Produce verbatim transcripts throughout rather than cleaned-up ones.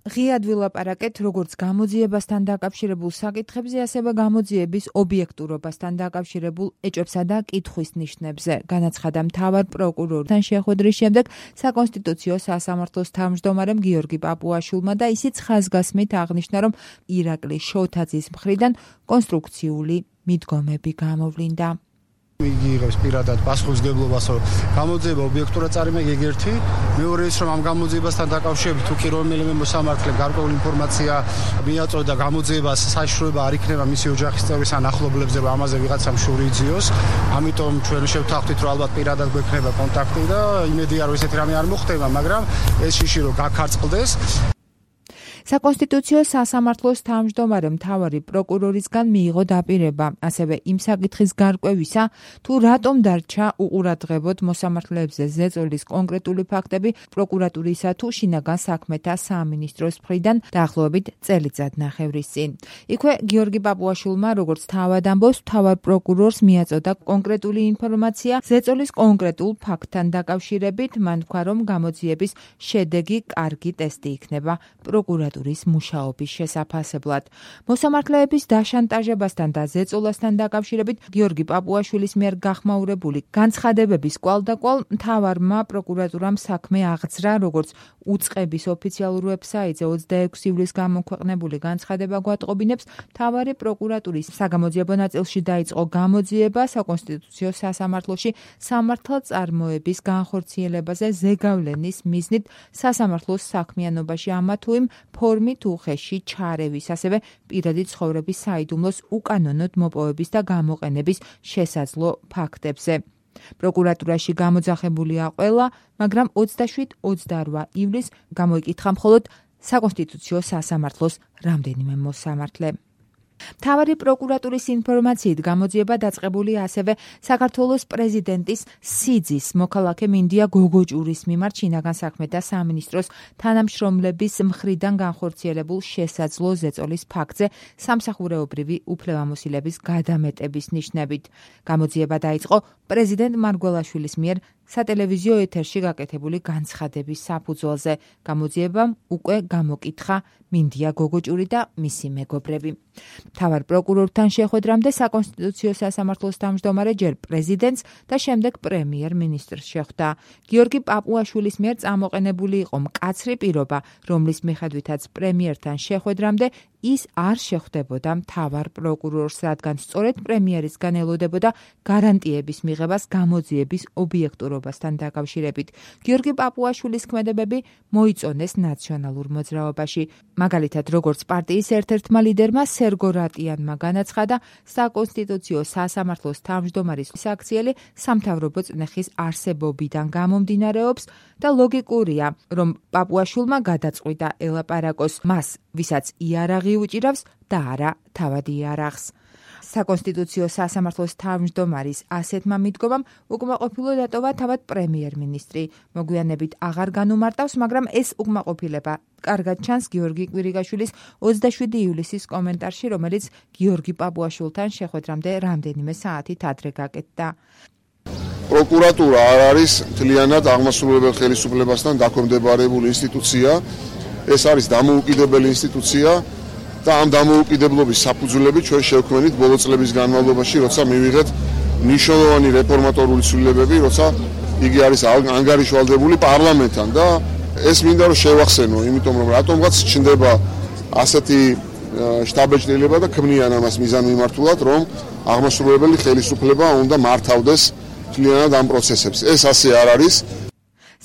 ღიად ვილაპარაკეთ როგორც გამოძიებასთან დაკავშირებულ საკითხებზე, ასევე გამოძიების ობიექტურობასთან დაკავშირებულ ეჭვებსა და კითხვის ნიშნებზე. განაცხადა მთავარ პროკურორთან შეხვედრის შემდეგ საკონსტიტუციო სასამართლოს თავმჯდომარემ გიორგი პაპუაშვილმა და ისიც ხაზგასმით აღნიშნა, რომ ირაკლი შოთაძის მხრიდან კონსტრუქციული მიდგომები გამოვლინდა. იგი იღებს პირადად პასუხისმგებლობას, რომ გამოძიება ობიექტურად წარიმეგი ეგერთი, მეორე ის, რომ ამ გამოძიებასთან დაკავშირებით თუ კი რომელიმე მოსამართლემ გარკვეული ინფორმაცია მიაწოდა გამოძიებას საშიშროება არ იქნება მისი ოჯახის წევრის ან ახლობლებზე, რომ ამაზე ვიღაცამ შური იძიოს. ამიტომ ჩვენ შევთანხმდით, რომ ალბათ პირადად გვექნება კონტაქტი და იმედია, რომ ესეთი რამე არ მოხდება, მაგრამ ეს შიში რომ გაქარწყლდეს. საკონსტიტუციო სასამართლოს თავმჯდომარე მთავარი პროკურორისგან მიიღო დაპირება, ასევე იმ საკითხის გარკვევისა, თუ რატომ დარჩა უყურადღებოდ მოსამართლეებზე ზეწოლის კონკრეტული ფაქტები პროკურატურისა თუ შინაგან საქმეთა სამინისტროს მხრიდან დაახლოებით წელიწადნახევრის წინ. იქვე გიორგი პაპუაშვილმა, როგორც თავად ამბობს, მთავარ პროკურორს მიაწოდა კონკრეტული ინფორმაცია ზეწოლის კონკრეტულ ფაქტთან დაკავშირებით, მან თქვა, რომ გამოძიების შედეგი კარგი ტესტი იქნება პროკურატურას მუშაობის შესაფასებლად. მოსამართლეების დაშანტაჟებასთან და ზეწოლასთან დაკავშირებით გიორგი პაპუაშვილის მიერ გახმაურებული განცხადებების კვალდაკვალ მთავარმა პროკურატურამ საქმე აღძრა, როგორც უწყების ოფიციალურ ვებსაიტზე ოცდაექვსი ივლისს გამოქვეყნებული განცხადება გვატყობინებს, მთავარი პროკურატურის საგამოძიებო ნაწილში დაიწყო გამოძიება საკონსტიტუციო სასამართლოში სამართალწარმოების განხორციელებაზე ზეგავლენის მიზნით სასამართლოს საქმიანობაში ამა თუ იმ ფორმით უხეში ჩარევის, ასევე პირადი ცხოვრების საიდუმლოს უკანონოდ მოპოვების და გამოყენების შესაძლო ფაქტებზე. პროკურატურაში გამოძახებულია ყველა, მაგრამ ოცდაშვიდ ოცდაორ ივლისს გამოიკითხა მხოლოდ საკონსტიტუციო სასამართლოს რამდენიმე მოსამართლე. მთავარი პროკურატურის ინფორმაციით გამოძიება დაწყებული ასევე საქართველოს პრეზიდენტის სიძის მოქალაქე მინდია გოგოჭურის მიმართ შინაგან საქმეთა სამინისტროს თანამშრომლების მხრიდან განხორციელებულ შესაძლო ზეწოლის ფაქტზე სამსახურეობრივი უფლებამოსილების გადამეტების ნიშნებით. გამოძიება დაიწყო პრეზიდენტ მარგველაშვილის მიერ სატელევიზიო ეთერში გაკეთებული განცხადების საფუძველზე. გამოძიებამ უკვე გამოკითხა მინდია გოგოჭური და მისი მეგობრები. მთავარ პროკურორთან შეხვედრამდე საკონსტიტუციო სასამართლოს თავმჯდომარე ჯერ პრეზიდენტს და შემდეგ პრემიერ-მინისტრს შეხვდა. გიორგი პაპუაშვილის მიერ წამოყენებული იყო მკაცრი პირობა, რომლის მიხედვითაც პრემიერთან შეხვედრამდე ის არ შეხვდებოდა მთავარ პროკურორს, რადგან სწორედ პრემიერისგან ელოდებოდა გარანტიების მიღებას გამოძიების ობიექტურობასთან დაკავშირებით. გიორგი პაპუაშვილის ქმედებები მოიწონეს ნაციონალურ მოძრაობაში. მაგალითად, როგორც პარტიის ერთ-ერთმა ლიდერმა სერგო რატიანმა განაცხადა, საკონსტიტუციო სასამართლოს თავმჯდომარის საქციელი სამთავრობო წნეხის არსებობიდან გამომდინარეობს და ლოგიკურია, რომ პაპუაშვილმა გადაწყვიტა ელაპარაკოს მას, ვისაც იარაღი უჭირავს და არა თავად იარაღს. საკონსტიტუციო სასამართლოს თავმჯდომარის ასეთმა მიდგომამ უკმაყოფილო დატოვა თავად პრემიერ-მინისტრი. მოგვიანებით აღარ განუმარტავს, მაგრამ ეს უკმაყოფილება კარგად ჩანს გიორგი კვირიკაშვილის ოცდაშვიდი ივლისის კომენტარში, რომელიც გიორგი პაპუაშვილთან შეხვედრამდე რამდენიმე საათით ადრე გაკეთდა. პროკურატურა არ არის მთლიანად აღმასრულებელ ხელისუფლებასთან დაქვემდებარებული ინსტიტუცია. ეს არის დამოუკიდებელი ინსტიტუცია და ამ დამოუკიდებლობის საფუძვლები ჩვენ შევქმნით ბოლო წლების განმავლობაში, როცა მივიღეთ მნიშვნელოვანი რეფორმატორული ცვლილებები, როცა იგი არის ანგარიშვალდებული პარლამენტთან და ეს მინდა რომ შევახსენო, იმიტომ რომ რატომღაც ჩნდება ასეთი შტაბეჭდილება და ქმნიან ამას მიზანმიმართულად, რომ აღმასრულებელი ხელისუფლება უნდა მართავდეს მთლიანად ამ პროცესებს. ეს ასე არ არის.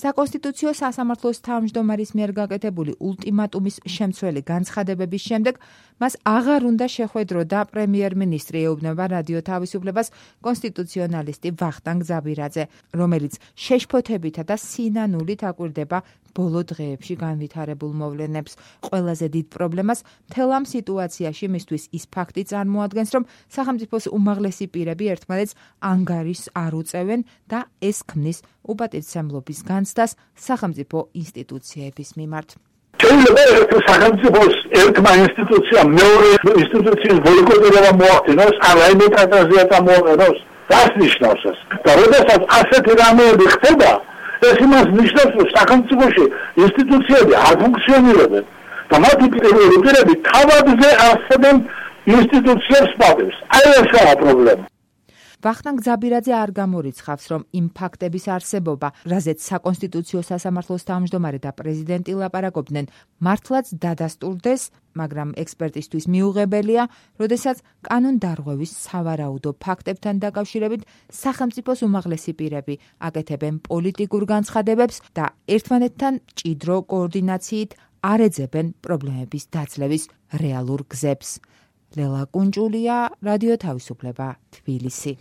საკონსტიტუციო სასამართლოს თავმჯდომარის მიერ გაკეთებული ულტიმატუმის შემცველი განცხადებების შემდეგ მას აღარ უნდა შეხვედროდა პრემიერ-მინისტრი, ეუბნება რადიო თავისუფლებას კონსტიტუციონალისტი ვახტანგ ზაბირაძე, რომელიც შეშფოთებითა და სინანულით აკვირდება ბოლო დღეებში განვითარებულ მოვლენებს. ყველაზე დიდ პრობლემას მთელ ამ სიტუაციაში მისთვის ის ფაქტი წარმოადგენს, რომ სახელმწიფოს უმაღლესი პირები ერთმანეთს ანგარიშს არ უწევენ და ეს ქმნის უპატივცემლობის განცდას სახელმწიფო ინსტიტუციების მიმართ. შეიძლება ერთ სახელმწიფოს ერთმა ინსტიტუციამ მეორე ინსტიტუციის ბოიკოტირება მოახდინოს, ან რაიმე ტრანზაქცია წამოაყენოს. რას ნიშნავს ეს? და როდესაც ასეთი რამეები ხდება, ეს იმას ნიშნავს, რომ სახელმწიფოში ინსტიტუციები არ ფუნქციონირებენ და მათი პირველი პირები თავადზე არსებენ ინსტიტუციებს პატევს. აი ესაა პრობლემა. ვახტანგ ძაბირაძე არ გამორიცხავს, რომ იმ ფაქტების არსებობა, რაზეც საკონსტიტუციო სასამართლოს თავმჯდომარე და პრეზიდენტი ლაპარაკობდნენ, მართლაც დადასტურდეს, მაგრამ ექსპერტისთვის მიუღებელია, როდესაც კანონდარღვევის სავარაუდო ფაქტებთან დაკავშირებით სახელმწიფოს უმაღლესი პირები აკეთებენ პოლიტიკურ განცხადებებს და ერთმანეთთან მჭიდრო კოორდინაციით არ ეძებენ პრობლემების დაძლევის რეალურ გზებს. ლელა კუნჭულია, რადიო თავისუფლება, თბილისი.